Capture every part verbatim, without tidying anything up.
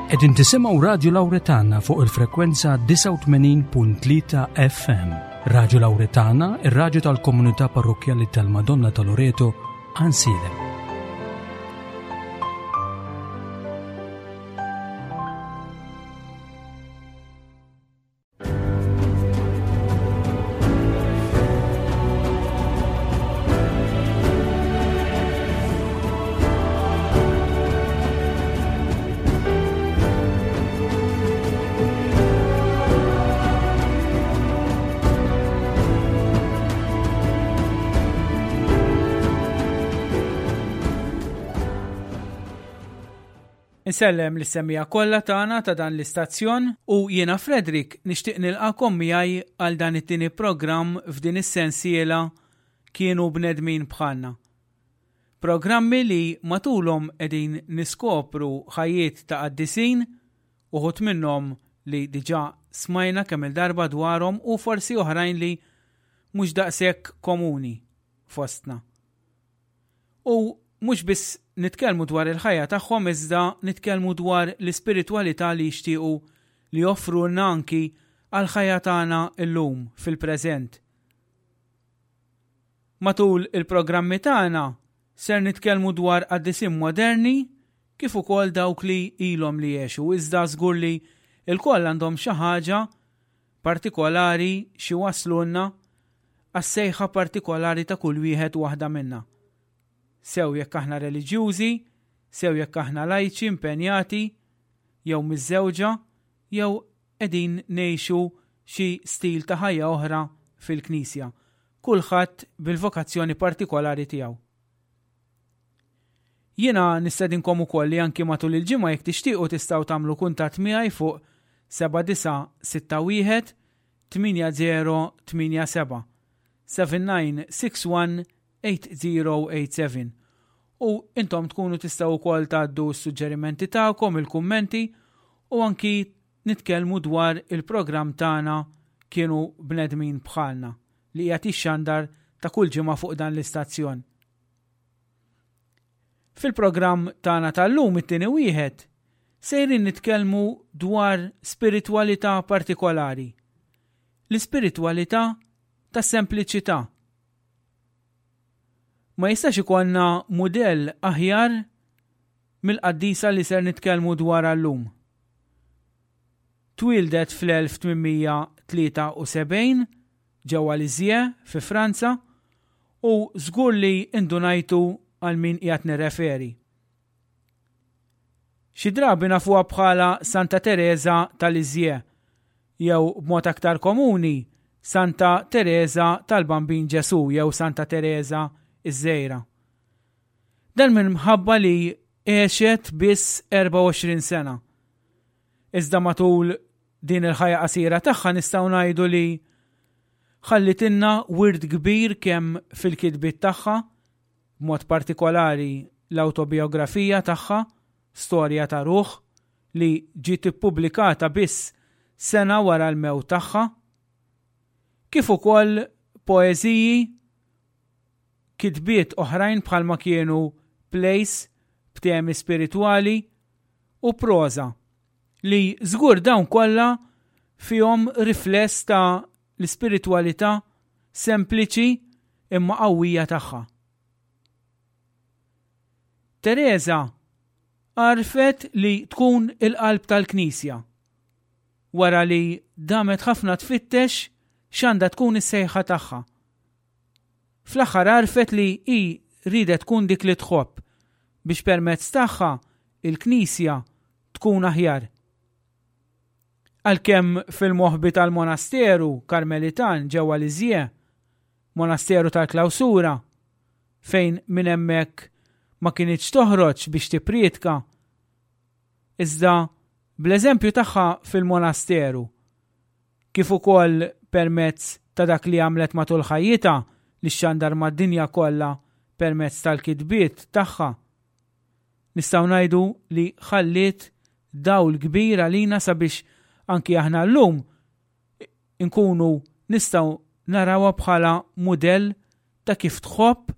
Qegħdin tisimgħu Radju Lawretana fuq il-frekwenza disgħa u tmenin punt tlieta F M. Radju Lawretana, ir-radju tal-Komunità Parrokkjali tal-Madonna ta' Loreto, Għajnsielem. Insellem lis-semmiegħa kollha tagħna ta' dan l-istazzjon u jiena Frederick nixtieq nilqakom miegħi għal dan it-tieni programm f'din is-sensiela Kienu Bnedmin Bħalna. Programmi li matulhom qegħdin niskopru ħajjiet ta' qaddisin, uħud minnhom li diġà smajna kemm il-darba dwarhom u forsi oħrajn li mhux daqshekk komuni fostna. U mhux biss nitkellmu dwar il-ħajja tagħhom, iżda nitkellmu dwar l-ispiritwalità li jixtiequ li joffrulna anki għal-ħajja tagħna illum fil-preżent. Matul il-programmi tagħna ser nitkellmu dwar qaddisin moderni kif ukoll dawk li ilhom li jgħixu, iżda żgur li lkoll għandhom xi ħaġa partikolari xi jwasslulna għas-sejħa partikolari ta' kull wieħed u waħda minna. Sew jekk aħna reliġjużi, sew jekk aħna lajċi impenjati, jew miżżewġa, jew qegħdin ngħixu xi stil ta' ħajja oħra fil-Knisja. Kulħadd bil-vokazzjoni partikolari tiegħu. Jiena nistedinkom ukoll li anki matul il-ġimgħa, jekk tixtiequ, tistgħu tagħmlu kuntatt miegħi fuq seba' disa' sitta wieħed tmienja żero tmienja seba', seven nine six one eight zero eight seven, u intom tkunu tistgħu wkoll tgħaddu s-suġġerimenti tagħkom, il-kummenti u anki nitkellmu dwar il-programm tagħna Kienu Bnedmin Bħalna li qiegħed jixxandar ta' kull ġimgħa fuq dan l-istazzjon. Fil-programm tagħna tal-lum, it-tieni wieħed, sejrin nitkellmu dwar spiritwalità partikolari. L-ispiritwalità tas-sempliċità. Ma jistax ikollna mudell aħjar mill-qaddisa li ser nitkellmu dwar llum. Twildet fl-elf tmien mija tlieta u sebgħin ġewwa Lisieux fi Franza u żgur li indunajtu għal min qiegħed nirreferi. Xi drabi nafuha bħala Santa Teresa ta' Lisieux jew, b'mod aktar komuni, Santa Teresa tal-Bambin Ġesu jew Santa Teresa iż-Żgħira. Dan minħabba li għexet biss erbgħa u għoxrin sena. Iżda matul din il-ħajja qasira tagħha nistgħu ngħidu li ħallitilna wirt kbir kemm fil-kitbiet tagħha, b'mod partikolari l-autobiografija tagħha, Storja ta' Ruħ, li ġiet ippubblikata biss sena wara l-mewt tagħha, kif ukoll poeżiji, kitbiet oħrajn bħalma kienu plays b'temi spiritwali u proża li żgur dawn kollha fihom rifless ta' l-ispiritwalità sempliċi imma qawwija tagħha. Teresa għarfet li tkun il-qalb tal-Knisja wara li damet ħafna tfittex x'għandha tkun is-sejħa tagħha. Fl-aħħar għarfet li hi ridet tkun dik li tħobb biex permezz tagħha il-Knisja tkun aħjar. Għalkemm fil-moħbi tal-monasteru Karmelitan ġewwa Lisieux, monasteru tal-klawsura, fejn minn hemmhekk ma kinitx toħroġ biex tipprietka. Iżda bl-eżempju tagħha fil-monasteru, kif ukoll permezz ta' dak li għamlet matul ħajjitha li xxandar mad-dinja kollha permezz tal-kitbiet tagħha, nistgħu ngħidu li ħalliet dawl kbir għalina sabiex anki aħna llum inkunu nistgħu narawha bħala mudell ta' kif tħobb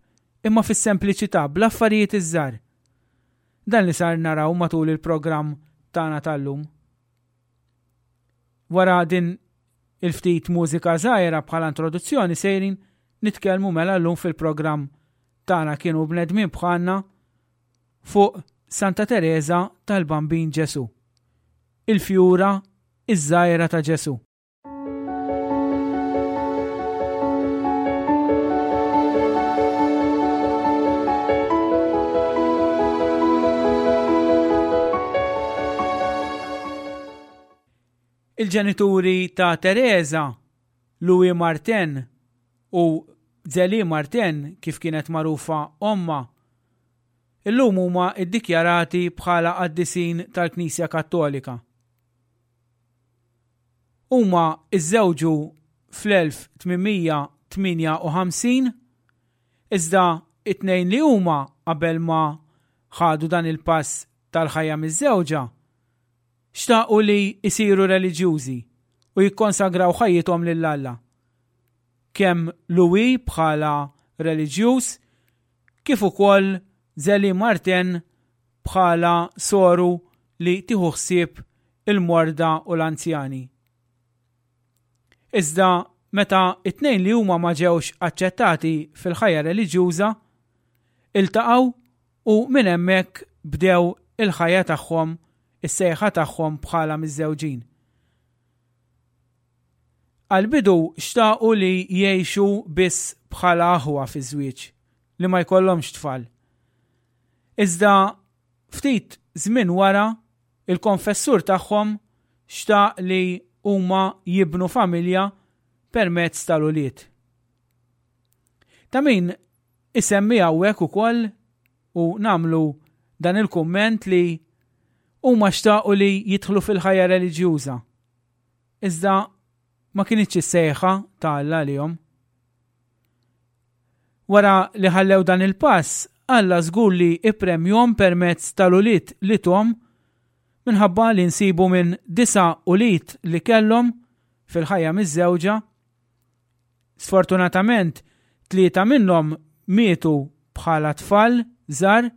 imma fis-sempliċità, bl-affarijiet iż-żgħar. Dan li sar naraw matul il-programm tagħna tal-lum. Wara din il-ftit mużika żgħira bħala introduzzjoni sejrin nitkellmu mela llum fil-programm tagħna Kienu Bnedmin Bħalna fuq Santa Tereża tal-Bambin Ġesu. Il-fjura iż-żgħira ta' Ġesu. Il-ġenituri ta' Tereża, Louis Martin u Zélie Martin, kif kienet magħrufa omma, illum huma iddikjarati bħala qaddisin tal-Knisja Kattolika. Huma iżżewġu fl-elf tmien mija tmienja u ħamsin, iżda it-tnejn li huma qabel ma ħadu dan il-pass tal-ħajja miż-żewġa, xtaqu li jsiru reliġjużi u jikkonsagraw ħajjithom lil Alla. Kemm Louis bħala reliġjuż, kif ukoll Zélie Martin bħala soru li tieħu ħsieb il-morda u l-anzjani. Iżda meta it-tnejn li huma ma ġewx aċċettati fil-ħajja reliġjuża, iltaqgħu u minn hemmhekk bdew il-ħajja tagħhom, is-sejħa tagħhom bħala miżżewġin. Għal-bidu xtaqu li jgħixu biss bħala aħwa fi żwieġ, li ma jkollhomx tfal. Iżda ftit żmien wara, il-konfessur tagħhom xtaq li huma jibnu familja permezz tal-ulied. Ta' min isemmi hawnhekk ukoll u nagħmlu dan il-kumment li huma xtaqu li jidħlu fil-ħajja reliġjuża. Iżda ma kinitx is-sejħa ta' Alla għalihom. Wara li ħallew dan il-pass, Alla żgur li ippremjhom permezz tal-ulied li tahom, minħabba li nsibu minn disa' ulied li kellhom fil-ħajja miż-żewġa. Sfortunatament, tlieta minnhom mietu bħala tfal żgħar,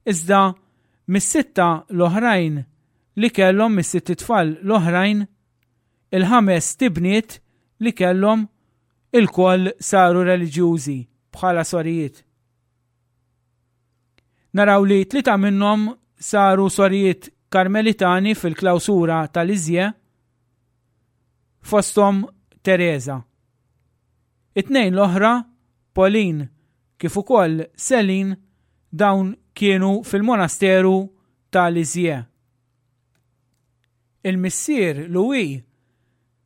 iżda mis-sitta l-oħrajn li kellhom, mis-sitt tfal l-oħrajn, il-ħames tibniet li kellhom ilkoll saru reliġjużi bħala sorijiet. Naraw li tlieta minnhom saru sorijiet karmelitani fil-klawsura tal-Lisieux, fosthom Teresa. It-tnejn l-oħra, Pauline kif ukoll Celine, dawn kienu fil-monasteru tal-Lisieux. Il-missier Louis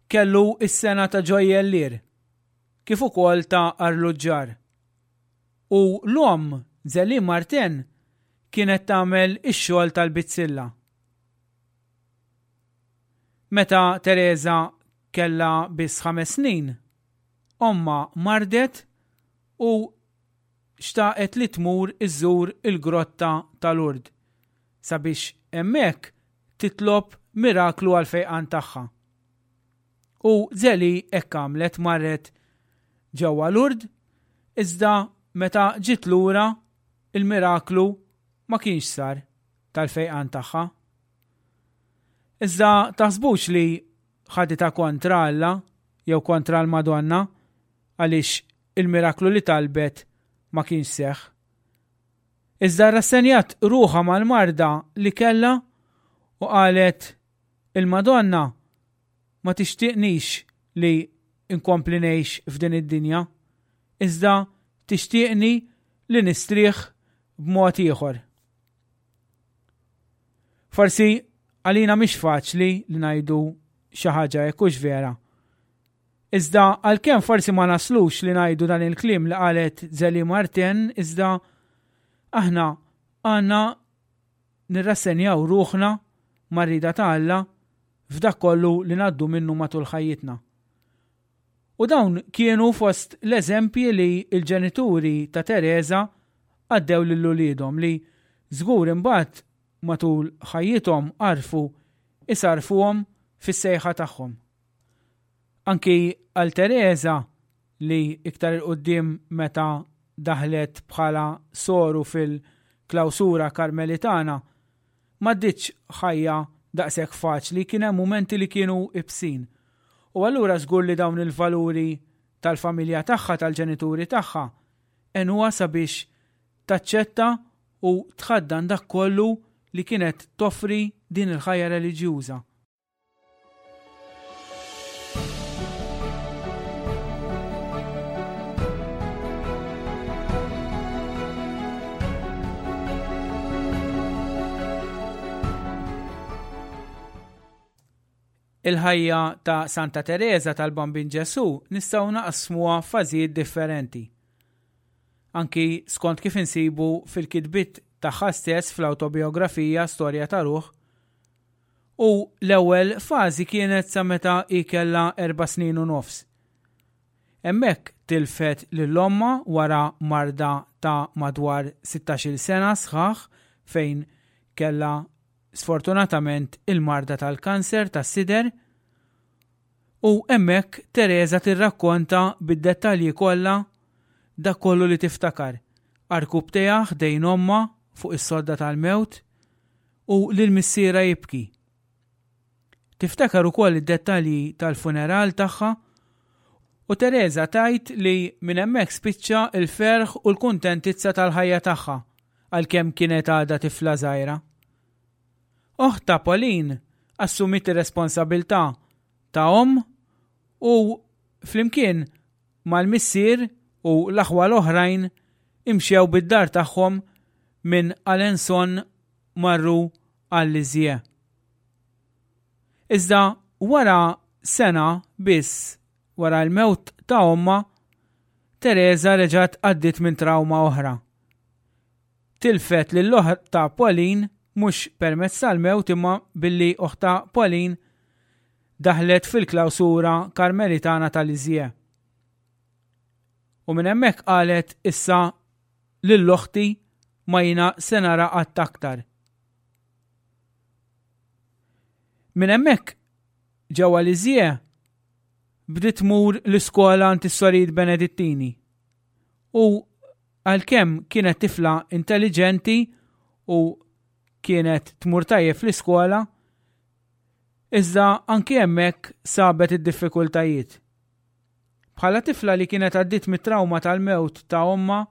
kellu is-sengħa ta' ġojjellier, kif ukoll ta' arluġġar. U l-omm Zélie Martin kienet tagħmel ix-xogħol tal-bizzilla. Meta Teresa kellha biss ħames snin, omma mardet u xtaqet li tmur iżżur il-grotta tal-Lourdes sabiex hemmhekk titlob miraklu għal fejqan tagħha. U Zélie hekk għamlet, marret ġewwa Lourdes, iżda meta ġiet lura il-miraklu ma kienx sar tal-fejqan tagħha. Iżda taħsbux li ħaditha kontra Alla jew kontra l-Madonna għaliex il-miraklu li talbet ma kienx seħ. Iżda rassenjat ruħha mal-marda li kellha u qalet il-Madonna ma tixtieqnix li nkompli ngħix f'din id-dinja, iżda tixtieqni li nistrieħ b'mod ieħor. Forsi għalina mhix faċli li ngħidu xi ħaġa hekk, hux vera. Iżda għalkemm forsi ma naslux li ngħidu dan il-kliem li qalet Zélie Martin, iżda aħna għandna nirrassenjaw ruħna mar-rieda ta' Alla f'dak kollu li ngħaddu minnu matul ħajjitna. U dawn kienu fost l-eżempji li l-ġenituri ta' Teresa għaddew lil uliedhom li żgur imbagħad matul ħajjithom għarfu isarfuhom fis-sejħa tagħhom. Anki għal Teresa li iktar il-qoddim meta daħlet bħala soru fil-klawsura karmelitana, M'għaddietx ħajja daqshekk faċli, kien hemm mumenti li kienu ibsin. U allura żgur li dawn il-valuri tal-familja tagħha, tal-ġenituri tagħha, għenuha sabiex taċċetta u tħaddan dak kollu li kienet toffri din il-ħajja reliġjuża. Il-ħajja ta' Santa Tereża tal-Bambin Ġesù nistgħu naqsmuha f'fażijiet differenti. Anki skont kif insibu fil-kitbiet tagħha stess fl-awtobiografija Storja ta' Ruħ. U l-ewwel fażi kienet sa meta hi kellha erba' snin u nofs. Hemmhekk tilfet lil ommha wara marda ta' madwar sittax-il sena sħaħ fejn kellha sfortunatament il-marda tal-kanser tas-sider, u hemmhekk Tereża tirrakkonta bid-dettalji kollha dak kollu li tiftakar. Arkub tiegħha ħdejn ommha fuq is-sodda tal-mewt u lil missierha jibki. Tiftakar ukoll id-dettalji tal-funeral tagħha, u Tereża tgħid li minn hemmhekk spiċċa l-ferħ u l-kuntentizza tal-ħajja tagħha għalkemm kienet għadha tifla żgħira. Oħta Pauline assumiet ir-responsabilità ta' omm u flimkien mal-missier u l-aħwa l-oħrajn imxew bid-dar tagħhom minn Alençon marru għal Lisieux. Iżda wara sena biss wara l-mewt ta' ommha, Tereża reġgħet għaddiet minn trauma oħra. Tilfet lil oħta Pauline mhux permezz tal-mewt imma billi oħta Pauline daħlet fil-klawsura karmelitana tal-Lisieux. U minn hemmhekk qalet issa lil oħti ma jiena se nara qatt aktar. Minn hemmhekk ġewwa Lisieux bdiet tmur l-iskola għand is-Sorijiet Benedittini. U għalkemm kienet tifla intelligenti u kienet tmur tajjeb fl-iskola, iżda anki hemmhekk sabet id-diffikultajiet. Bħala tifla li kienet għaddiet mit-trauma tal-mewt ta' ommha,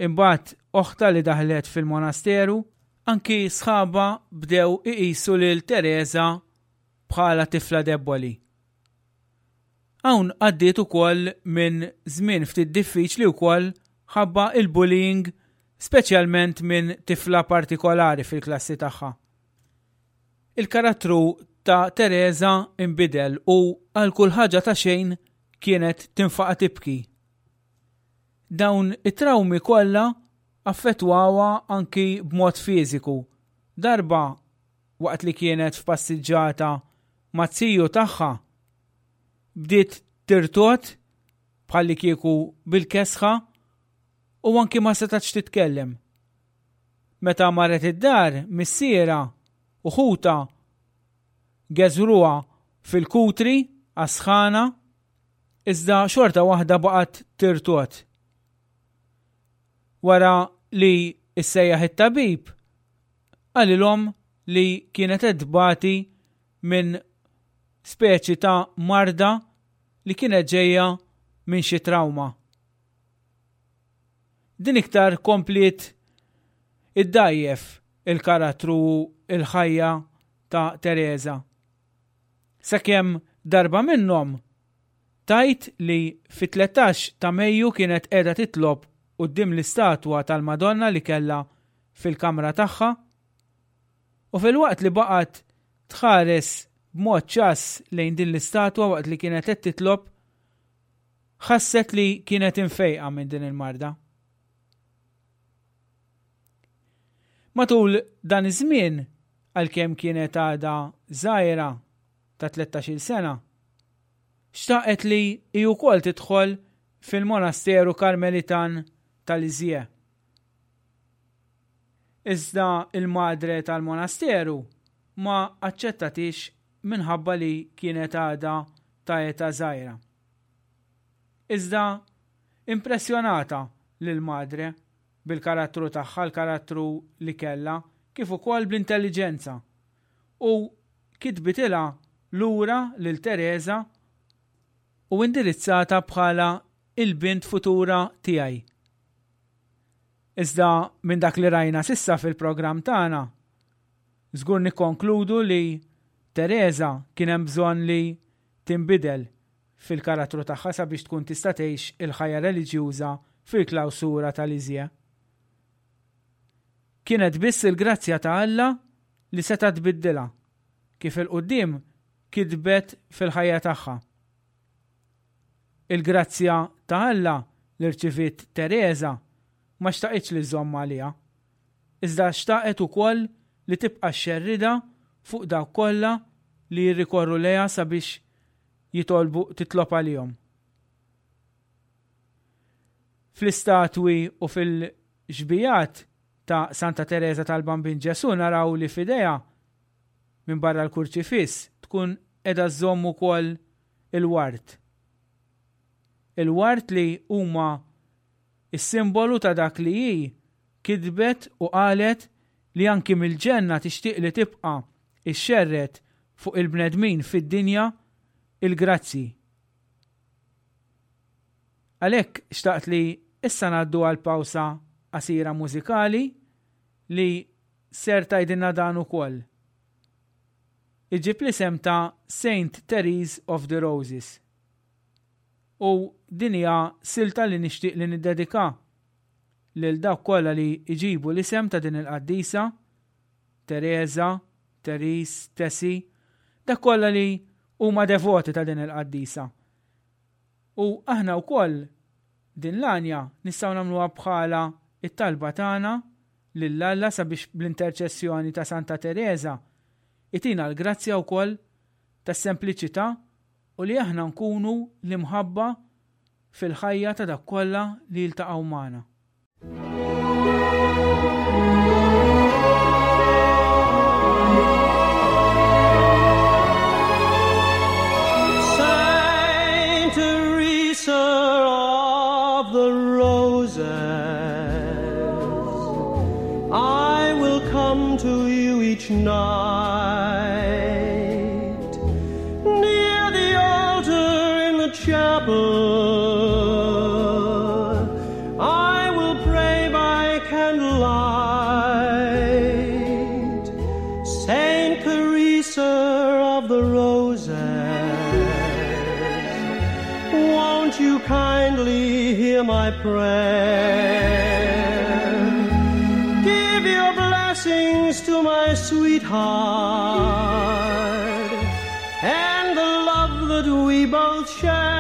imbagħad oħta li daħlet fil-monasteru, anki sħaba bdew iqisu lil Tereża bħala tifla debboli. Hawn għaddiet ukoll minn żmien ftit diffiċli wkoll ħabba il-bullying, speċjalment minn tifla partikolari fil-klassi tagħha. Il-karattru ta' Tereża inbidel u għal kull ħaġa ta' xejn kienet tinfaqa' tibki. Dawn it-trawmi kollha affettwawha anki b'mod fiżiku. Darba waqt li kienet f'passiġġata ma' ziju tagħha bdiet tirtot bħalli kieku bil-kesħa u anki ma setax titkellem. Meta marret id-dar, missiera u ħuta geżruha fil-kutri għas-sħana, iżda xorta waħda baqgħet tirtot. Wara li issejjaħ it-tabib, qalilhom li kienet qed tbati minn speċi ta' marda li kienet ġejja minn xi trauma. Din iktar kompliet iddajjef il-karattru u il-ħajja ta' Tereża. Sakemm darba minnhom tajt li fit-tlettax ta' Mejju kienet qiegħda titlob quddiem l-istatwa tal-Madonna li kellha fil-kamra tagħha, u filwaqt li baqgħet tħares b'mod ċass lejn din l-istatwa waqt li kienet qed titlob, ħasset li kienet imfejqa minn din il-marda. Matul dan iż-żmien, għalkemm kienet għadha żgħira ta' tlettax-il sena, xtaqet li hi wkoll tidħol fil-monasteru Karmelitan tal-Lisieux. Iżda il-madre tal-monasteru ma aċċettatix minħabba li kienet għadha ta' età żgħira. Iżda impressjonata lil madre bil-karattru tagħha, l-karattru li kellha, kif ukoll bl-intelliġenza u kitbitilha lura lil Tereża u indirizzata bħala il-bint futura tiegħi. Iżda minn dak li rajna s'issa fil-programm tagħna, żgur nikkonkludu li Tereża kien hemm bżonn li tinbidel fil-karattru tagħha sabiex tkun tista' tgħix il-ħajja reliġjuża fil-klawsura ta' Lisieux. Kienet biss il-grazzja ta' Alla li seta' tbiddilha, kif 'il quddiem kitbet fil-ħajja tagħha. Il-grazzja ta' Alla li rċiviet Tereża ma xtaqitx li żżomm għaliha, iżda xtaqet ukoll li tibqa' xxerridha fuq dawk kollha li jirrikorru lejha sabiex jitolbu titlob għalihom. Fl-istatwi u fil-xbijat ta' Santa Tereża tal-Bambin Ġesù naraw li f'idejha minn barra l-kurċifiss tkun qiegħda żżomm ukoll il-ward. Il-ward li huma is-simbolu ta' dak li hi kitbet u qalet li anki mill-ġenna tixtieq li tibqa' ixxerred fuq il-bnedmin fid-dinja il-grazzi. Għalhekk xtaqt li issa ngħaddu għal pawsa qasira mużikali li ser tgħidilna dan ukoll. Iġib l-isem ta' Saint Therese of the Roses. U din hija silta li nixtieq li niddedika lil dawk kollha li jġibu l-isem ta' din il-qaddisa, Teresa, Therese, Tessie, dak kollha li huma devoti ta' din il-qaddisa. U aħna wkoll din l-għanja nistgħu nagħmluha bħala it-talba tagħna lil Alla sabiex bl-interċessjoni ta' Santa Teresa itina l-grazzja wkoll tas-sempliċità u li aħna nkunu l-imħabba fil-ħajja ta' dak kollha li jiltaqgħu magħna. Saint Teresa of the Roses, I will come to you each night, near the altar in the chapel. I will pray by candlelight. Saint Teresa of the Roses, won't you kindly hear my prayer? Give your blessings to my sweetheart and the love that we both share.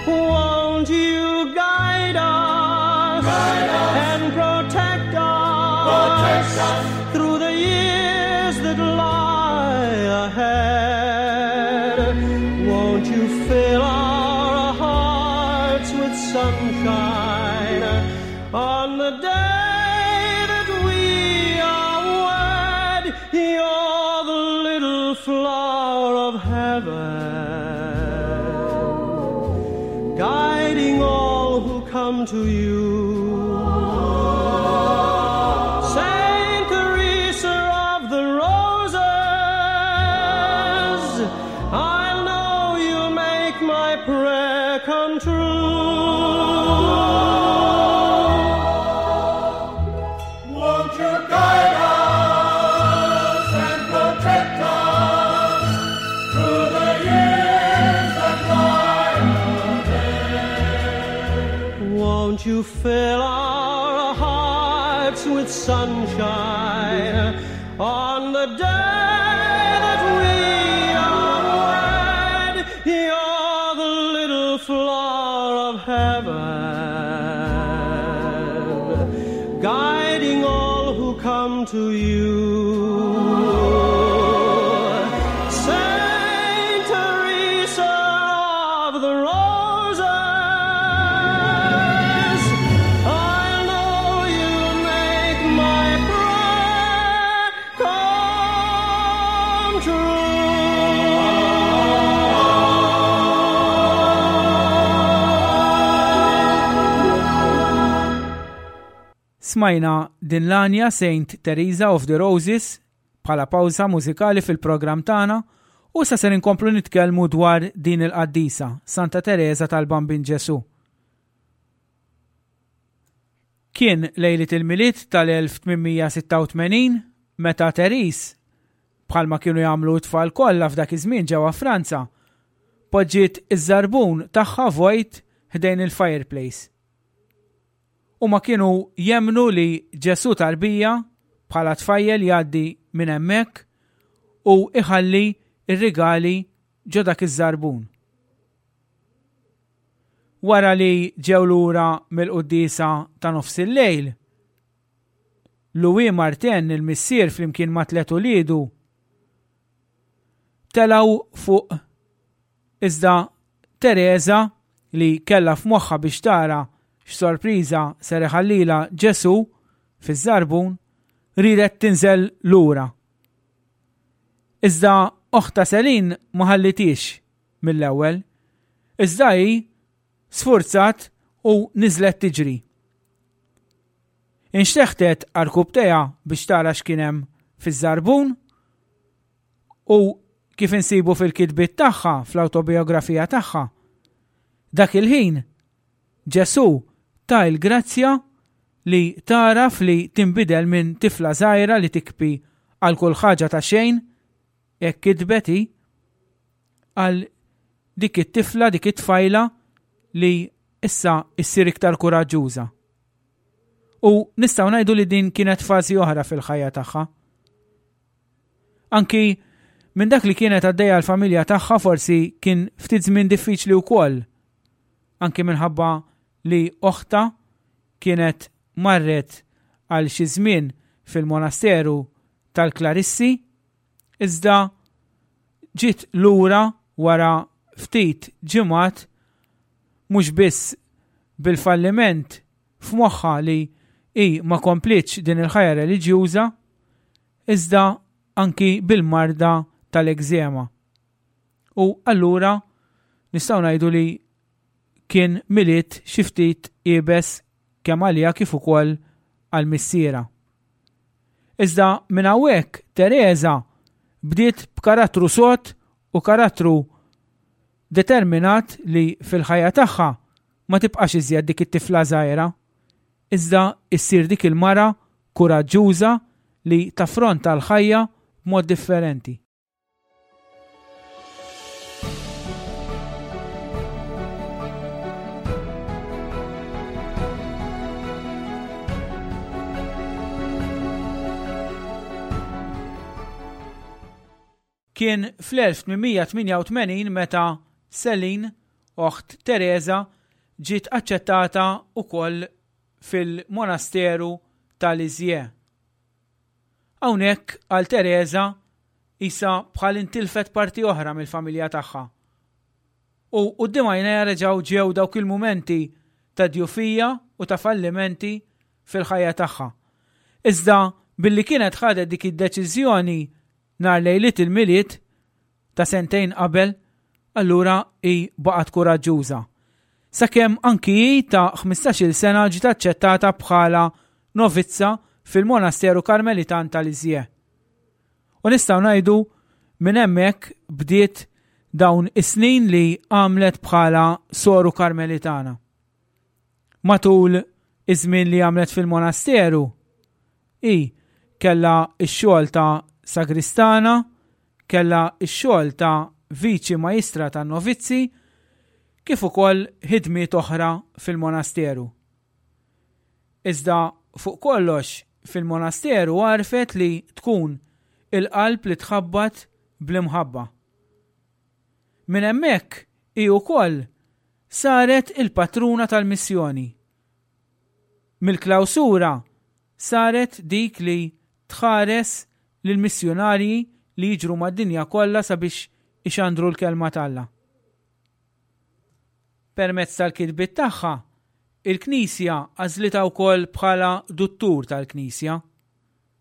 Won't you guide us, Guide us. and protect us, Protect us. through the years that lie ahead? Won't you fill our hearts with sunshine on the day that we are wed? You're the little flower of heaven, guiding all who come to you. Saint Teresa of the Roses, I'll know you'll make my prayer come true. Won't you guide us and protect us through the years that lie ahead? Won't you fill our hearts with sunshine on the day that we are wed? You're the little flower of heaven, guiding all who come to you. Saint Teresa of the Roses, I know you'll make my prayer come true. Smajna din l-għanja Saint Teresa of the Roses bħala pawża mużikali fil-programm tagħna u sa ser inkomplu nitkellmu dwar din il-qaddisa, Santa Teresa tal-Bambin Ġesu. Kien lejliet il-Milied tal-elf tmien mija sitta u tmenin meta Therese, bħalma kienu jagħmlu t-tfal kollha f'dak iż-żmien ġewwa Franza, poġġiet iż-żarbun tagħha vojt ħdejn il-fireplace. Huma kienu jemmnu li Ġesu tarbija bħala tfajjel jgħaddi minn hemmhekk u iħalli ir-rigali ġo dak iż-żarbun. Wara li ġew lura mill-quddiesa ta' nofs il-lejl, Louis Martin, il-missier, flimkien ma' tliet uliedu, telgħu fuq, iżda Teresa, li kellha f'moħħha biex tara x'sorpriża ser iħallilha Ġesu fiż-żarbun, riedet tinżel lura. Iżda oħta Selin ma ħallitix mill-ewwel, iżda hi sfurzat u niżlet tiġri. Inxteħtet għarkupptejha biex tara x'kien hemm fiż-żarbun u kif insibu fil-kitbiet tagħha, fl-awtobiografija tagħha, dak il-ħin Ġesu ta l-grazzja li taraf li tinbidel minn tifla żgħira li tikbi għal kull ħaġa ta' xejn, hekk kitbet hi, għal dik it-tifla, dik it-tfajla li issa issir iktar kuraġġuża. U nistgħu ngħidu li din kienet fażi oħra fil-ħajja tagħha. Anki minn dak li kienet għaddejja l-familja tagħha forsi kien ftit żmien diffiċli wkoll. Anki minħabba li oħta kienet marret għal xi żmien fil-monasteru tal-Klarissi, iżda ġiet lura wara ftit ġimgħat mhux biss bil-falliment f'moħħha li hi ma komplitx din il-ħajja reliġjuża, iżda anki bil-marda tal-egżema. U allura nistgħu ngħidu li kien Milied xi ftit iebes kemm għaliha kif ukoll għal missiera. Iżda minn hawnhekk Teresa bdiet b'karattru sod u karattru determinat li fil-ħajja tagħha ma tibqax iżjed dik it-tifla żgħira, iżda issir dik il-mara kuraġġuża li taffronta l-ħajja b'mod differenti. Kien fl-elf tmien mija tmienja u tmenin meta Celine, oħt Teresa, ġiet aċċettata wkoll fil-monasteru ta' Lisieux. Hawnhekk għal Teresa isa bħal intilfet parti oħra mill-familja tagħha. U quddiem għajnejha reġgħu ġew dawk il-mumenti ta' djufija u ta' fallimenti fil-ħajja tagħha. Iżda billi kienet ħadet dik id-deċiżjoni nhar lejliet il-Milied ta' sentejn qabel, allura hi baqgħet kuraġġuża. Sakemm anki hi ta' ħmistax-il sena ġiet aċċettata bħala novizza fil-monasteru Karmelitan ta' Lisieux. U nistgħu ngħidu minn hemmhekk bdiet dawn is-snin li għamlet bħala soru Karmelitana. Matul iż-żmien li għamlet fil-monasteru, hi kellha x-xogħol ta' sagristana, kellha x-xogħol ta' viċi majstra tan novizzi, kif ukoll ħidmiet oħra fil-monasteru. Iżda fuq kollox fil-monasteru għarfet li tkun il-qalb li tħabbat bl-imħabba. Minn hemmhekk hi wkoll saret il-patruna tal-missjoni. Mill-klawsura saret dik li tħares lill-missjonarji li jiġru mad-dinja kollha sabiex ixandru l-kelma t'Alla. Permezz tal-kitbiet tagħha, il-Knisja għażlitha wkoll bħala duttur tal-Knisja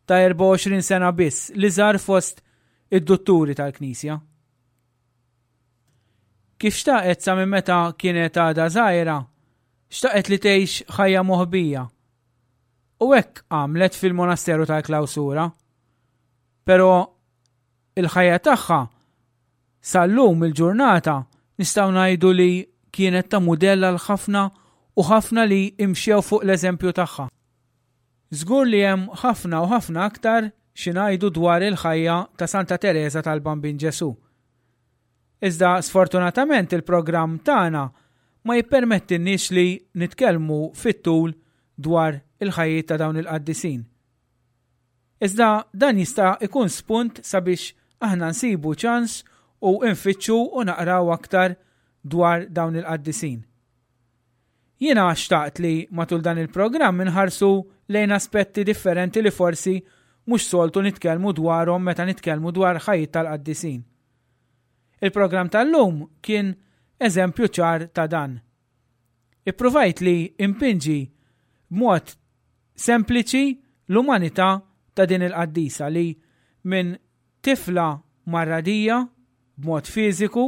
ta' erbgħa u għoxrin sena biss li żar fost id-dutturi tal-Knisja. Kif xtaqet sa minn meta kienet għadha żgħira, xtaqet li tgħix ħajja moħbija. U hekk għamlet fil-monasteru tal-klawsura. Però il-ħajja tagħha sal-lum il-ġurnata nistgħu ngħidu li kienet ta' mudell għal ħafna u ħafna li imxew fuq l-eżempju tagħha. Żgur li hemm ħafna u ħafna aktar xi ngħidu dwar il-ħajja ta' Santa Tereża tal-Bambin Ġesù. Iżda sfortunatament il-programm tagħna ma jippermettilniex li nitkellmu fit-tul dwar il-ħajjiet ta' dawn il-qaddisin. Iżda dan jista' ikun spunt sabiex aħna nsibu ċans u nfittxu u naqraw aktar dwar dawn il-qaddisin. Jiena xtaqt li matul dan il-programm inħarsu lejn aspetti differenti li forsi mhux soltu nitkellmu dwarhom meta nitkellmu dwar ħajjiet tal-qaddisin. Il-programm tal-lum kien eżempju ċar ta' dan. Ippruvajt li impinġi b'mod sempliċi l-umanità ta' din il-qaddisa li minn tifla marradija b'mod fiżiku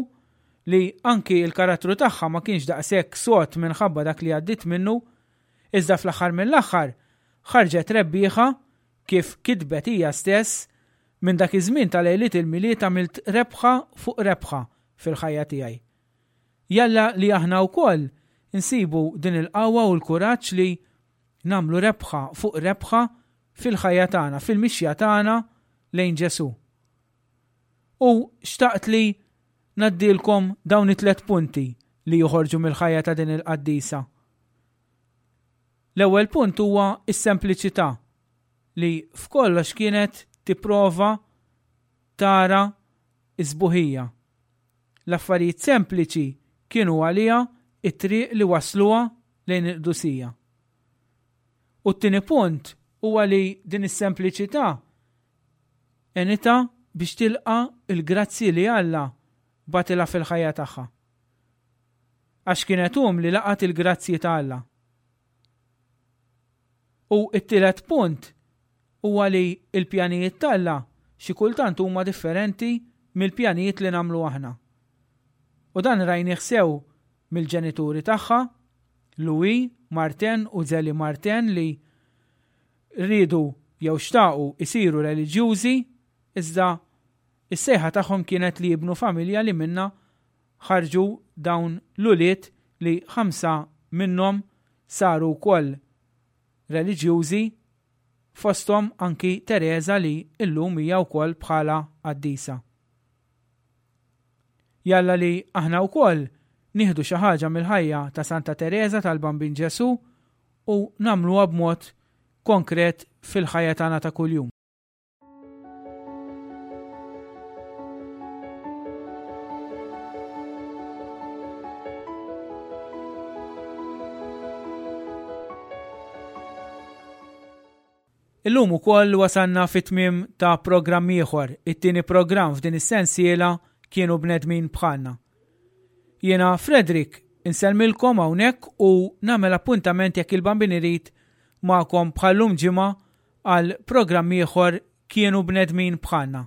li anki il-karattru tagħha ma kienx daqshekk sod minħabba dak li għaddiet minnu, iżda fl-aħħar mill-aħħar ħarġet rebbieħa kif kitbet hija stess minn dak iż-żmien ta' lejliet il-Milied għamilt rebħa fuq rebħa fil-ħajja tiegħi. Jalla li aħna wkoll insibu din il-qawwa u l-kuraġġ li nagħmlu rebħa fuq rebħa fil-ħajja tagħna, fil-mixja tagħna lejn Ġesù. U xtaqt li ngħaddilkom dawn it-tlet punti li joħorġu mill-ħajja ta' din il-qaddisa. L-ewwel punt huwa s-sempliċità li f'kollox kienet tipprova tara s-sbuħija. L-affarijiet sempliċi kienu għaliha it-triq li wasluha lejn il-qdusija. U t-tieni punt huwa li din is-sempliċità għenitha biex tilqa' l-grazzji li Alla bagħtilha fil-ħajja tagħha. Għax kienet umli laqgħet il-grazzji ta' Alla. U t-tielet punt huwa li l-pjanijiet t'Alla xi kultant huma differenti mill-pjanijiet li nagħmlu aħna. U dan rajnih sew mill-ġenituri tagħha, Louis Martin u Zélie Martin, li riedu jew xtaqu isiru reliġjużi, iżda is-sejħa tagħhom kienet li jibnu familja li minna ħarġu dawn l-ulied li ħamsa minnhom saru wkoll reliġjużi, fosthom anki Tereża li llum hija wkoll bħala qaddisa. Jalla li aħna wkoll nieħdu xi ħaġa mill-ħajja ta' Santa Tereża tal-Bambin Ġesù u nagħmluha b'mod konkret fil-ħajja tagħna ta' kuljum. Illum ukoll wasalna fit-tmiem ta' programm ieħor, it-tieni programm f'din is-sensiela Kienu Bnedmin Bħalna. Jiena Frederick insellmilkom hawnhekk u nagħmel appuntament jekk il-Bambin irid magħkom bħallum ġimgħa għal programm ieħor Kienu Bnedmin Bħalna.